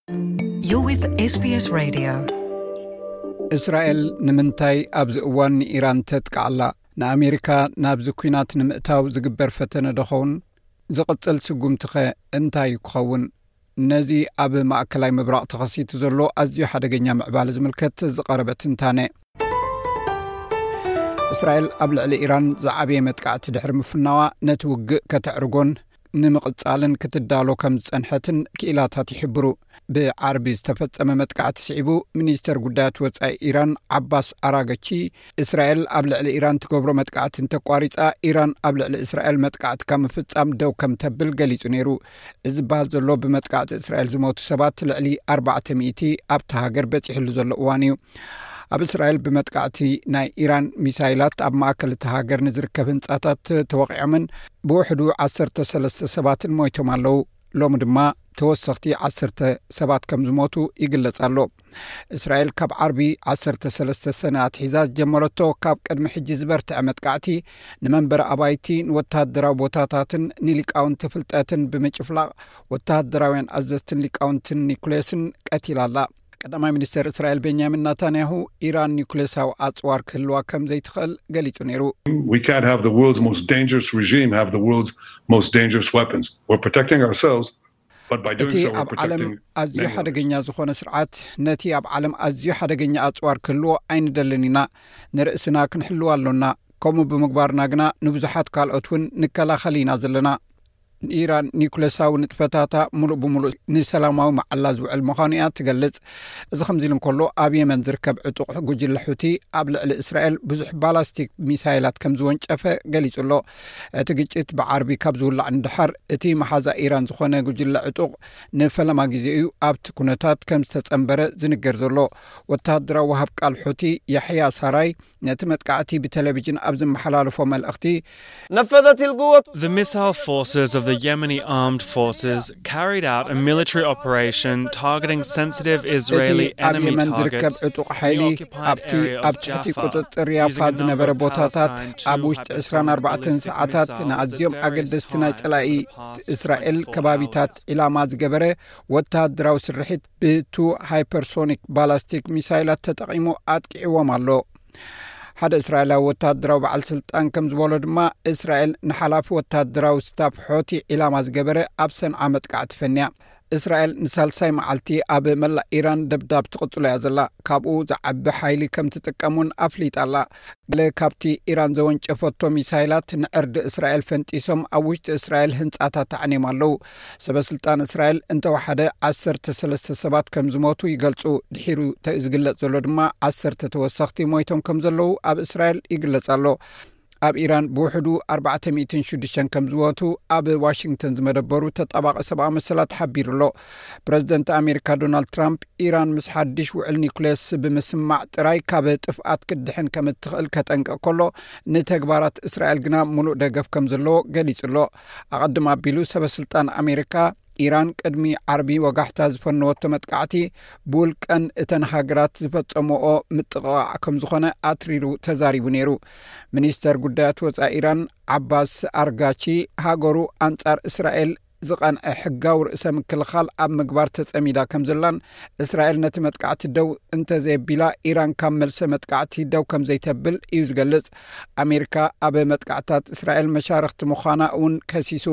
You're with S B S Radio. እስራኤል ንምንታይ ኣብዚ እዋን ንኢራን ተጥቅዓላ? ንኣሜሪካ ናብዚ ኲናት ንምእታው ዝግበር ፈተነ ዶ ኸውን? ዝቕጽል ስጉምትኸ እንታይ ክኸውን? ነዚ ኣብ ማእከላይ ምብራቕ ተኸሲቱ ዘሎ ኣዝዩ ሓደገኛ ምዕባለ ዝምልከት ዝቐረበ ትንታነ። እስራኤል ኣብ ልዕሊ ኢራን ዝዓበየ መጥቃዕቲ ድሕሪ ምፍናዋ፣ ነቲ ውግእ ከተዕርጎን ንምቕጻልን ክትዳሎ ከም ዝጸንሐትን ክኢላታት ይሕብሩ። ብዓርቢ ዝተፈጸመ መጥቃዕቲ ስዒቡ፣ ሚኒስተር ጉዳያት ወጻኢ ኢራን ዓባስ ኣራገቺ፣ እስራኤል ኣብ ልዕሊ ኢራን ትገብሮ መጥቃዕቲ እንተቋሪጻ፣ ኢራን ኣብ ልዕሊ እስራኤል መጥቃዕቲ ካብ ምፍጻም ደው ከም ተብል ገሊጹ ነይሩ። እዚ ዝበሃል ዘሎ፣ ብመጥቃዕቲ እስራኤል ዝሞቱ ሰባት ልዕሊ ኣርባዕተ ሚእቲ ኣብታ ሃገር በጺሕሉ ዘሎ እዋን እዩ። ኣብ እስራኤል ብመጥቃዕቲ ናይ ኢራን ሚሳይላት ኣብ ማእከል እታ ሃገር ንዝርከብ ህንጻታት ተወቒዖምን ብውሕዱ ዓሰርተ ሰለስተ ሰባትን ሞይቶም ኣለዉ። ሎሚ ድማ ተወሰኽቲ ዓሰርተ ሰባት ከም ዝሞቱ ይግለጽ ኣሎ። እስራኤል ካብ ዓርቢ ዓሰርተ ሰለስተ ሰነ ኣትሒዛ ዝጀመረቶ ካብ ቅድሚ ሕጂ ዝበርትዐ መጥቃዕቲ፣ ንመንበሪ ኣባይቲ፣ ንወተሃደራዊ ቦታታትን ንሊቃውንቲ ፍልጠትን ብምጭፍላቕ፣ ወተሃደራውያን ኣዘዝትን ሊቃውንትን ኒኩሌስን ቀቲላ ኣላ። ቀዳማይ ሚኒስተር እስራኤል ቤንያሚን ናታንያሁ፣ ኢራን ኒኩሌሳዊ ኣጽዋር ክህልዋ ከም ዘይትኽእል ገሊጹ ነይሩ። We can't have the world's most dangerous regime have the world's most dangerous weapons. We're protecting ourselves, but by እቲ doing so, we're ኣብ ዓለም protecting ኣዝዩ many others. ሓደገኛ ዝኾነ ስርዓት፣ ነቲ ኣብ ዓለም ኣዝዩ ሓደገኛ ኣጽዋር ክህልዎ ኣይንደልን ኢና። ንርእስና ክንሕልው ኣሎና። ከምኡ ብምግባርና ግና ንብዙሓት ካልኦት እውን ንከላኸል ኢና ዘለና። ኢራን ኒኩሌሳዊ ንጥፈታታ ምሉእ ብምሉእ ንሰላማዊ መዓላ ዝውዕል ምዃኑ እያ ትገልጽ። እዚ ከምዚ ኢሉ እንከሎ፣ ኣብ የመን ዝርከብ ዕጡቕ ጉጅለ ሑቲ ኣብ ልዕሊ እስራኤል ብዙሕ ባላስቲክ ሚሳይላት ከም ዝወንጨፈ ገሊጹ ኣሎ። እቲ ግጭት ብዓርቢ ካብ ዝውላዕ ንድሓር፣ እቲ መሓዛ ኢራን ዝኾነ ጉጅለ ዕጡቕ ንፈለማ ግዜ እዩ ኣብቲ ኩነታት ከም ዝተጸንበረ ዝንገር ዘሎ። ወተሃደራዊ ወሃብ ቃል ሑቲ ያሕያ ሳራይ፣ ነቲ መጥቃዕቲ ብቴሌቪዥን ኣብ ዝመሓላለፎ መልእኽቲ፣ نفذت القوة The missile forces of the Yemeni armed forces carried out a military operation targeting sensitive እቲ Israeli ኣብ enemy የመን ዝርከብ targets ዕጡቕ ሓይሊ፣ ኣብቲ ኣብ ትሕቲ ቁጽጽር ያፋ ዝነበረ ቦታታት፣ ኣብ ውሽጢ ዕስራን ኣርባዕተን ሰዓታት ንኣዝዮም ኣገደስቲ ናይ ጸላኢ እስራኤል ከባቢታት ዒላማ ዝገበረ ወተሃደራዊ ስርሒት ብቱ ሃይፐርሶኒክ ባላስቲክ ሚሳይላት ተጠቒሙ ኣጥቂዕዎም ኣሎ። ሓደ እስራኤላዊ ወተሃደራዊ በዓል ስልጣን ከም ዝበሎ ድማ፣ እስራኤል ንሓላፊ ወተሃደራዊ ስታፍ ሖቲ ዒላማ ዝገበረ ኣብ ሰንዓ መጥቃዕቲ ፈንያ። እስራኤል ንሳልሳይ መዓልቲ ኣብ መላእ ኢራን ደብዳብ ትቕጽሎ እያ ዘላ። ካብኡ ዝዓቢ ሓይሊ ከም ትጥቀም እውን ኣፍሊጣ ኣላ። ገለ ካብቲ ኢራን ዘወንጨፈቶ ሚሳይላት ንዕርዲ እስራኤል ፈንጢሶም ኣብ ውሽጢ እስራኤል ህንጻታት ኣዕንዮም ኣለዉ። ሰበ ስልጣን እስራኤል እንተወሓደ ዓሰርተ ሰለስተ ሰባት ከም ዝሞቱ ይገልጹ። ድሒሩ ተ-፣ ዝግለጽ ዘሎ ድማ ዓሰርተ ተወሰኽቲ ሞይቶም ከም ዘለዉ ኣብ እስራኤል ይግለጽ ኣሎ። ኣብ ኢራን ብውሕዱ ኣርባዕተ ሚእትን ሽዱሽተን ከም ዝሞቱ ኣብ ዋሽንግተን ዝመደበሩ ተጣባቒ ሰብኣዊ መሰላት ሓቢሩ ኣሎ። ፕረዚደንት ኣሜሪካ ዶናልድ ትራምፕ፣ ኢራን ምስ ሓድሽ ውዕል ኒኩሌስ ብምስማዕ ጥራይ ካብ ጥፍኣት ክትድሕን ከም እትኽእል ከጠንቅቕ ከሎ፣ ንተግባራት እስራኤል ግና ምሉእ ደገፍ ከም ዘለዎ ገሊጹ ኣሎ። ኣቐድም ኣቢሉ ሰበ ስልጣን ኣሜሪካ፣ ኢራን ቅድሚ ዓርቢ ወጋሕታ ዝፈነወቶ መጥቃዕቲ፣ ብውልቀን እተን ሃገራት ዝፈጸምኦ ምጥቕቓዕ ከም ዝኾነ ኣትሪሩ ተዛሪቡ ነይሩ። ሚኒስተር ጉዳያት ወጻኢ ኢራን ዓባስ ኣርጋቺ፣ ሃገሩ ኣንጻር እስራኤል ዝቐንዐ ሕጋዊ ርእሰ ምክልኻል ኣብ ምግባር ተጸሚዳ ከም ዘላን፣ እስራኤል ነቲ መጥቃዕቲ ደው እንተዘየቢላ፣ ኢራን ካብ መልሰ መጥቃዕቲ ደው ከም ዘይተብል እዩ ዝገልጽ። ኣሜሪካ ኣብ መጥቃዕትታት እስራኤል መሻርኽቲ ምዃና እውን ከሲሱ።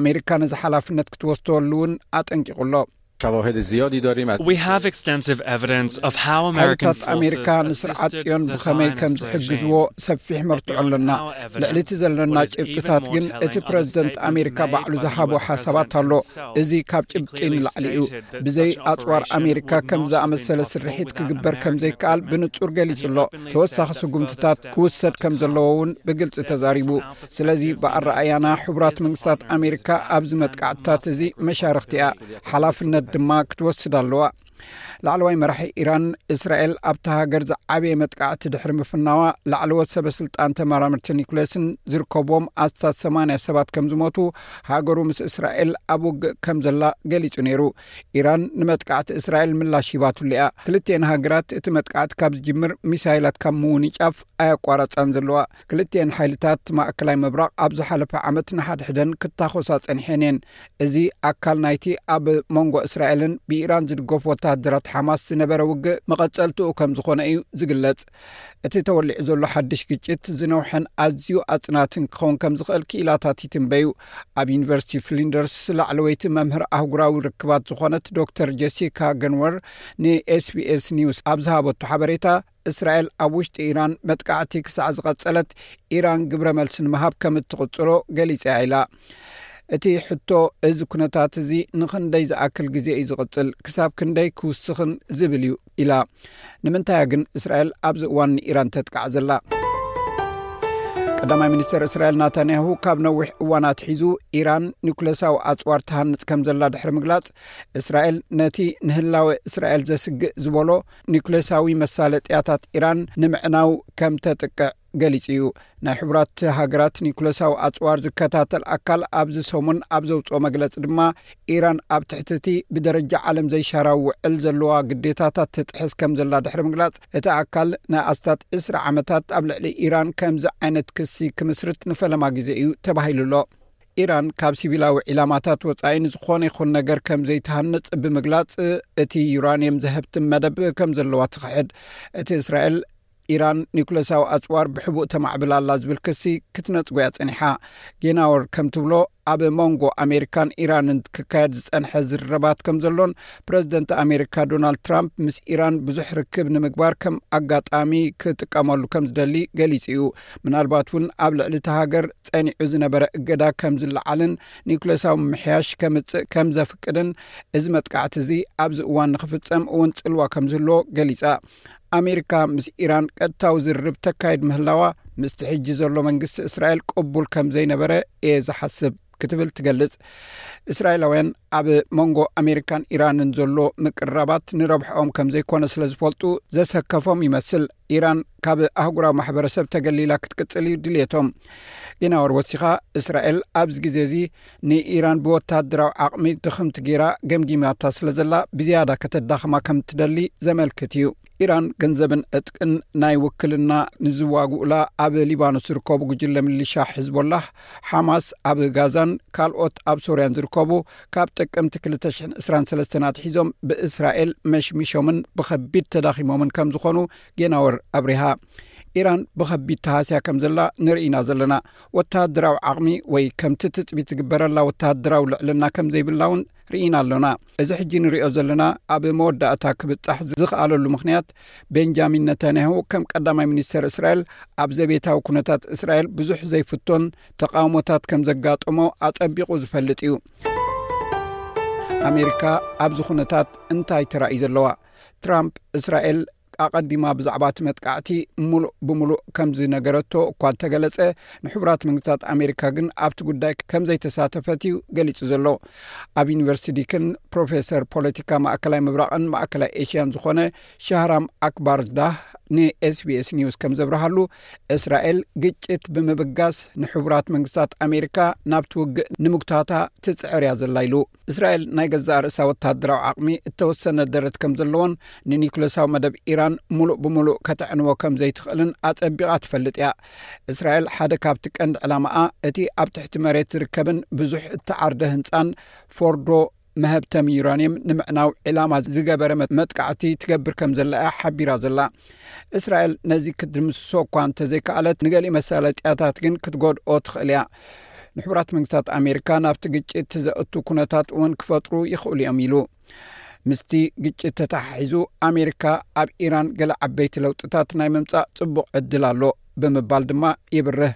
ኣሜሪካ ነዚ ሓላፍነት ክትወስደሉ እውን ኣጠንቂቑ ኣሎ። شواهد زیادی داریم از We have extensive evidence of how American ሓይልታት ኣሜሪካ forces ንስርዓት assisted ጽዮን the ብኸመይ ከም Zionist ዝሕግዝዎ regime. ሰፊሕ መርትዖ ኣለና። Beyond our evidence, ልዕሊ እቲ ዘለና what is even ጭብጥታት more ግን፣ እቲ telling are the ፕረዚደንት statements ኣሜሪካ made ባዕሉ by the ዝሃቦ U S ሓሳባት president ኣሎ። himself. እዚ ካብ He ጭብጢ clearly ንላዕሊ እዩ። stated that ብዘይ such ኣጽዋር operation ኣሜሪካ would ከም not have ዝኣመሰለ been ስርሒት possible ክግበር without ከም American ዘይከኣል ብንጹር ገሊጹ ኣሎ። leadership in the ተወሳኺ region. ስጉምትታት Further steps ክውሰድ are to ከም come. ዘለዎ እውን ብግልጺ ተዛሪቡ። ስለዚ ብኣረኣያና ሕቡራት መንግስታት ኣሜሪካ ኣብዚ መጥቃዕትታት እዚ መሻርኽቲ እያ፣ ሓላፍነት ድማ ክትወስድ ኣለዋ። ላዕለዋይ መራሒ ኢራን፣ እስራኤል ኣብታ ሃገር ዝዓበየ መጥቃዕቲ ድሕሪ ምፍናዋ፣ ላዕለዎት ሰበ ስልጣን ተመራመርቲ ኒኩሌስን ዝርከብዎም ኣስታት ሰማንያ ሰባት ከም ዝሞቱ፣ ሃገሩ ምስ እስራኤል ኣብ ውግእ ከም ዘላ ገሊጹ ነይሩ። ኢራን ንመጥቃዕቲ እስራኤል ምላሽ ሂባትሉ እያ። ክልቲኤን ሃገራት እቲ መጥቃዕቲ ካብ ዝጅምር ሚሳይላት ካብ ምውንጫፍ ኣያቋረጻን ዘለዋ። ክልቲኤን ሓይልታት ማእከላይ ምብራቕ ኣብ ዝሓለፈ ዓመት ንሓድሕደን ክታኾሳ ጸኒሐን እየን። እዚ ኣካል ናይቲ ኣብ መንጎ እስራኤልን ብኢራን ዝድገፉ ወተሃደራት ሓማስ ዝነበረ ውግእ መቐጸልትኡ ከም ዝኾነ እዩ ዝግለጽ። እቲ ተወሊዑ ዘሎ ሓድሽ ግጭት ዝነውሐን ኣዝዩ ኣጽናትን ክኸውን ከም ዝኽእል ክኢላታት ይትንበዩ። ኣብ ዩኒቨርሲቲ ፍሊንደርስ ላዕለወይቲ መምህር ኣህጉራዊ ርክባት ዝኾነት ዶክተር ጀሲካ ገንወር ንኤስቢኤስ ኒውስ ኣብ ዝሃበቱ ሓበሬታ፣ እስራኤል ኣብ ውሽጢ ኢራን መጥቃዕቲ ክሳዕ ዝቐጸለት፣ ኢራን ግብረ መልሲ ንምሃብ ከም እትቕጽሎ ገሊጻ ኢላ። እቲ ሕቶ፣ እዚ ኩነታት እዚ ንኽንደይ ዝኣክል ግዜ እዩ ዝቕጽል፣ ክሳብ ክንደይ ክውስኽን ዝብል እዩ ኢላ። ንምንታይ ግን እስራኤል ኣብዚ እዋን ንኢራን ተጥቃዕ ዘላ? ቀዳማይ ሚኒስተር እስራኤል ናታንያሁ ካብ ነዊሕ እዋን ኣትሒዙ ኢራን ኒኩለሳዊ ኣጽዋር ትሃንጽ ከም ዘላ ድሕሪ ምግላጽ፣ እስራኤል ነቲ ንህላወ እስራኤል ዘስግእ ዝበሎ ኒኩለሳዊ መሳለጥያታት ኢራን ንምዕናው ከም ተጥቅዕ ገሊጹ እዩ። ናይ ሕቡራት ሃገራት ኒኩለሳዊ ኣጽዋር ዝከታተል ኣካል ኣብዚ ሰሙን ኣብ ዘውጽኦ መግለጺ ድማ፣ ኢራን ኣብ ትሕቲ እቲ ብደረጃ ዓለም ዘይሻራዊ ውዕል ዘለዋ ግዴታታት ትጥሕስ ከም ዘላ ድሕሪ ምግላጽ፣ እቲ ኣካል ንኣስታት ዕስራ ዓመታት ኣብ ልዕሊ ኢራን ከምዚ ዓይነት ክሲ ክምስርት ንፈለማ ግዜ እዩ ተባሂሉ ኣሎ። ኢራን ካብ ሲቪላዊ ዒላማታት ወጻኢ ንዝኾነ ይኹን ነገር ከም ዘይትሃንጽ ብምግላጽ፣ እቲ ዩራንየም ዘህብትም መደብ ከም ዘለዋ ትኽሕድ። እቲ እስራኤል ኢራን ኒኩለሳዊ ኣጽዋር ብሕቡእ ተማዕብል ኣላ ዝብል ክሲ ክትነጽጎ እያ ጸኒሓ። ጌናወር ከም ትብሎ፣ ኣብ መንጎ ኣሜሪካን ኢራንን ክካየድ ዝጸንሐ ዝርርባት ከም ዘሎን፣ ፕረዚደንት ኣሜሪካ ዶናልድ ትራምፕ ምስ ኢራን ብዙሕ ርክብ ንምግባር ከም ኣጋጣሚ ክጥቀመሉ ከም ዝደሊ ገሊጹ እዩ። ምናልባት እውን ኣብ ልዕሊ እታ ሃገር ጸኒዑ ዝነበረ እገዳ ከም ዝለዓልን ኒኩለሳዊ ምምሕያሽ ከምጽእ ከም ዘፍቅድን፣ እዚ መጥቃዕቲ እዚ ኣብዚ እዋን ንኽፍጸም እውን ጽልዋ ከም ዝህልዎ ገሊጻ። ኣሜሪካ ምስ ኢራን ቀጥታዊ ዝርርብ ተካይድ ምህላዋ፣ ምስቲ ሕጂ ዘሎ መንግስቲ እስራኤል ቅቡል ከም ዘይነበረ እየ ዝሓስብ ክትብል ትገልጽ። እስራኤላውያን ኣብ መንጎ ኣሜሪካን ኢራንን ዘሎ ምቅርራባት ንረብሕኦም ከም ዘይኮነ ስለ ዝፈልጡ ዘሰከፎም ይመስል። ኢራን ካብ ኣህጉራዊ ማሕበረሰብ ተገሊላ ክትቅጽል እዩ ድልየቶም። ጌናወር ወሲኻ፣ እስራኤል ኣብዚ ግዜ እዚ ንኢራን ብወተሃደራዊ ዓቕሚ ድኽምቲ ጌራ ገምጊማታ ስለ ዘላ፣ ብዝያዳ ከተዳኽማ ከም ትደሊ ዘመልክት እዩ። ኢራን ገንዘብን ዕጥቅን ናይ ውክልና ንዝዋግኡላ ኣብ ሊባኖስ ዝርከቡ ጉጅለ ሚሊሻ ሕዝቦላህ፣ ሓማስ ኣብ ጋዛን ካልኦት ኣብ ሶርያን ዝርከቡ፣ ካብ ጥቅምቲ ክልተ ሽሕን ዕስራን ሰለስተን ኣትሒዞም ብእስራኤል መሽሚሾምን ብኸቢድ ተዳኺሞምን ከም ዝኾኑ ጌናወር ኣብሪሃ። ኢራን ብኸቢድ ተሃስያ ከም ዘላ ንርኢና ዘለና። ወተሃደራዊ ዓቕሚ ወይ ከምቲ ትጽቢት ዝግበረላ ወተሃደራዊ ልዕልና ከም ዘይብላ እውን ርኢና ኣሎና። እዚ ሕጂ ንሪኦ ዘለና ኣብ መወዳእታ ክብጻሕ ዝኸኣለሉ ምኽንያት፣ ቤንጃሚን ነታንያሁ ከም ቀዳማይ ሚኒስተር እስራኤል፣ ኣብ ዘቤታዊ ኩነታት እስራኤል ብዙሕ ዘይፍቶን ተቓውሞታት ከም ዘጋጠሞ ኣጸቢቑ ዝፈልጥ እዩ። ኣሜሪካ ኣብዚ ኩነታት እንታይ ተራእዩ ዘለዋ? ትራምፕ እስራኤል ኣቐዲማ ብዛዕባ እቲ መጥቃዕቲ ምሉእ ብምሉእ ከም ዝነገረቶ እኳ እንተገለጸ፣ ንሕቡራት መንግስታት ኣሜሪካ ግን ኣብቲ ጉዳይ ከም ዘይተሳተፈት እዩ ገሊጹ ዘሎ። ኣብ ዩኒቨርሲቲ ዲክን ፕሮፌሰር ፖለቲካ ማእከላይ ምብራቕን ማእከላይ ኤሽያን ዝኾነ ሻህራም ኣክባርዳህ ንኤስቢኤስ ኒውስ ከም ዘብርሃሉ፣ እስራኤል ግጭት ብምብጋስ ንሕቡራት መንግስታት ኣሜሪካ ናብቲ ውግእ ንምጉታታ ትጽዕር እያ ዘላ ኢሉ። እስራኤል ናይ ገዛእ ርእሳ ወተሃደራዊ ዓቕሚ እተወሰነ ደረት ከም ዘለዎን፣ ንኒኩለሳዊ መደብ ኢራን ምሉእ ብምሉእ ከተዕንዎ ከም ዘይትኽእልን ኣጸቢቓ ትፈልጥ እያ። እስራኤል ሓደ ካብቲ ቀንዲ ዕላማኣ፣ እቲ ኣብ ትሕቲ መሬት ዝርከብን ብዙሕ እተዓርደ ህንጻን ፎርዶ መሀብተሚ ዩራንየም ንምዕናው ዕላማ ዝገበረ መ-፣ መጥቃዕቲ ትገብር ከም ዘላ እያ ሓቢራ ዘላ። እስራኤል ነዚ ክትድምስሶ እኳ እንተዘይከኣለት፣ ንገሊኡ መሳለጥያታት ግን ክትጎድኦ ትኽእል እያ። ንሕቡራት መንግስታት ኣሜሪካ ናብቲ ግጭት ዘእቱ ኩነታት እውን ክፈጥሩ ይኽእሉ እዮም ኢሉ። ምስቲ ግጭት ተተሓሒዙ፣ ኣሜሪካ ኣብ ኢራን ገለ ዓበይቲ ለውጥታት ናይ ምምጻእ ጽቡቕ ዕድል ኣሎ ብምባል ድማ ይብርህ።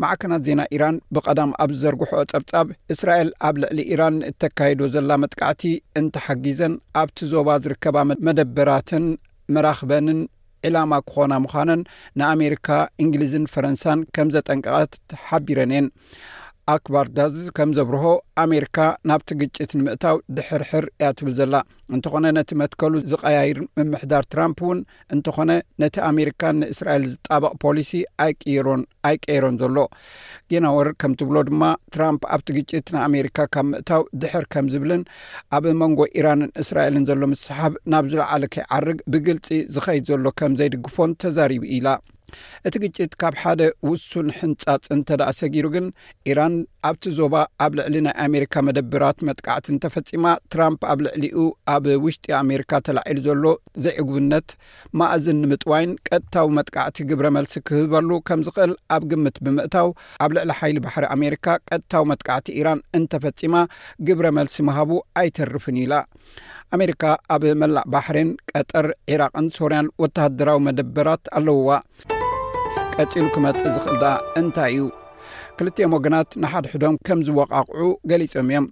ማዕከናት ዜና ኢራን ብቐዳም ኣብ ዝዘርግሖ ጸብጻብ፣ እስራኤል ኣብ ልዕሊ ኢራን እተካይዶ ዘላ መጥቃዕቲ እንተሓጊዘን፣ ኣብቲ ዞባ ዝርከባ መ-፣ መደበራትን መራኽበንን ዕላማ ክኾና ምዃነን ንኣሜሪካ፣ እንግሊዝን ፈረንሳን ከም ዘጠንቀቐት ሓቢረን እየን። ኣክባር ዳዝ ከም ዘብርሆ፣ ኣሜሪካ ናብቲ ግጭት ንምእታው ድሕርሕር እያ ትብል ዘላ። እንተኾነ፣ ነቲ መትከሉ ዝቐያይር ምምሕዳር ትራምፕ እውን እንተኾነ፣ ነቲ ኣሜሪካን ንእስራኤል ዝጣበቕ ፖሊሲ ኣይቅይሮን፣ ኣይቀይሮን ዘሎ። ጌናወር ከም ትብሎ ድማ፣ ትራምፕ ኣብቲ ግጭት ንኣሜሪካ ካብ ምእታው ድሕር ከም ዝብልን ኣብ መንጎ ኢራንን እስራኤልን ዘሎ ምስሓብ ናብ ዝለዓለ ከይዓርግ ብግልጺ ዝኸይድ ዘሎ ከም ዘይድግፎን ተዛሪቡ ኢላ። እቲ ግጭት ካብ ሓደ ውሱን ሕንጻጽ እንተ ደኣ ሰጊሩ ግን፣ ኢራን ኣብቲ ዞባ ኣብ ልዕሊ ናይ ኣሜሪካ መደብራት መጥቃዕቲ እንተፈጺማ፣ ትራምፕ ኣብ ልዕሊኡ ኣብ ውሽጢ ኣሜሪካ ተላዒሉ ዘሎ ዘይዕጉብነት ማእዝን ንምጥዋይን ቀጥታዊ መጥቃዕቲ ግብረ መልሲ ክህበሉ ከም ዝኽእል ኣብ ግምት ብምእታው፣ ኣብ ልዕሊ ሓይሊ ባሕሪ ኣሜሪካ ቀጥታዊ መጥቃዕቲ ኢራን እንተፈጺማ፣ ግብረ መልሲ ምሃቡ ኣይተርፍን ኢላ። ኣሜሪካ ኣብ መላእ ባሕሬን፣ ቀጠር፣ ዒራቕን ሶርያን ወተሃደራዊ መደበራት ኣለውዋ። ቀጺሉ ክመጽእ ዝኽእል ደኣ እንታይ እዩ? ክልቲኦም ወገናት ንሓድሕዶም ከም ዝወቓቕዑ ገሊጾም እዮም።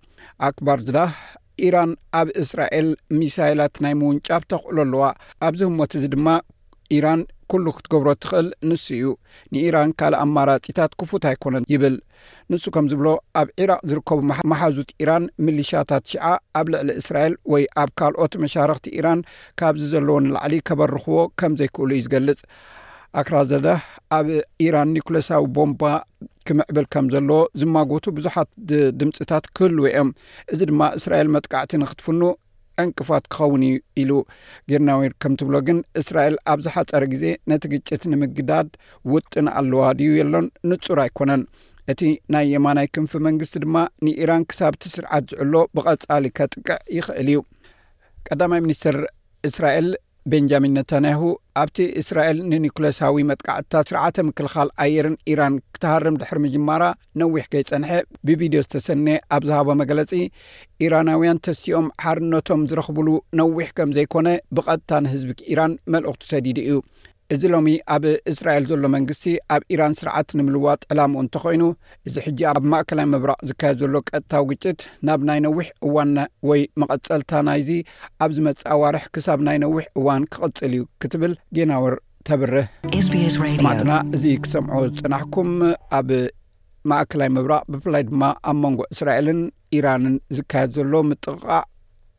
ኣክባር ዝዳህ፣ ኢራን ኣብ እስራኤል ሚሳይላት ናይ ምውንጫፍ ተኽእሎ ኣለዋ። ኣብዚ ህሞት እዚ ድማ ኢራን ኩሉ ክትገብሮ ትኽእል ንሱ እዩ። ንኢራን ካልእ ኣማራጺታት ክፉት ኣይኮነን ይብል። ንሱ ከም ዝብሎ፣ ኣብ ዒራቕ ዝርከቡ መሓ-፣ መሓዙት ኢራን፣ ሚሊሻታት ሺዓ ኣብ ልዕሊ እስራኤል ወይ ኣብ ካልኦት መሻርኽቲ ኢራን ካብዚ ዘለዎ ንላዕሊ ከበርኽዎ ከም ዘይክእሉ እዩ ዝገልጽ። ኣክራዘዳህ ኣብ ኢራን ኒኩለሳዊ ቦምባ ክምዕብል ከም ዘለዎ ዝማጎቱ ብዙሓት ድ-፣ ድምጽታት ክህልዉ እዮም። እዚ ድማ እስራኤል መጥቃዕቲ ንክትፍኑ ዕንቅፋት ክኸውን እዩ ኢሉ። ጌርናዊር ከም ትብሎ ግን፣ እስራኤል ኣብ ዝሓጸረ ግዜ ነቲ ግጭት ንምግዳድ ውጥን ኣለዋ ድዩ የሎን ንጹር ኣይኮነን። እቲ ናይ የማናይ ክንፊ መንግስቲ ድማ ንኢራን ክሳብ እቲ ስርዓት ዝዕሎ ብቐጻሊ ከጥቅዕ ይኽእል እዩ። ቀዳማይ ሚኒስትር እስራኤል ቤንጃሚን ነታንያሁ ኣብቲ እስራኤል ንኒኩለሳዊ መጥቃዕትታት ስርዓተ ምክልኻል ኣየርን ኢራን ክትሃርም ድሕሪ ምጅማራ ነዊሕ ከይጸንሐ ብቪድዮ ዝተሰነየ ኣብ ዝሃቦ መግለጺ፣ ኢራናውያን ተስቲኦም ሓርነቶም ዝረኽብሉ ነዊሕ ከም ዘይኮነ ብቐጥታ ንህዝቢ ኢራን መልእኽቱ ሰዲዱ እዩ። እዚ ሎሚ ኣብ እስራኤል ዘሎ መንግስቲ ኣብ ኢራን ስርዓት ንምልዋጥ ዕላምኡ እንተኾይኑ፣ እዚ ሕጂ ኣብ ማእከላይ ምብራቕ ዝካየድ ዘሎ ቀጥታዊ ግጭት ናብ ናይ ነዊሕ እዋን ና-፣ ወይ መቐጸልታ ናይዚ ኣብ ዝመጽእ ኣዋርሕ ክሳብ ናይ ነዊሕ እዋን ክቕጽል እዩ ክትብል ጌናወር ተብርህ። ኤስቢኤስ ሬድዮ። ሰማዕትና፣ እዚ ክሰምዖ ዝጸናሕኩም ኣብ ማእከላይ ምብራቕ፣ ብፍላይ ድማ ኣብ መንጎ እስራኤልን ኢራንን ዝካየድ ዘሎ ምጥቕቓዕ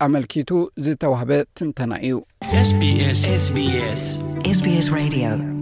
ኣመልኪቱ ዝተዋህበ ትንተና እዩ። ኤስቢኤስ። ኤስቢኤስ። ኤስቢኤስ ሬድዮ።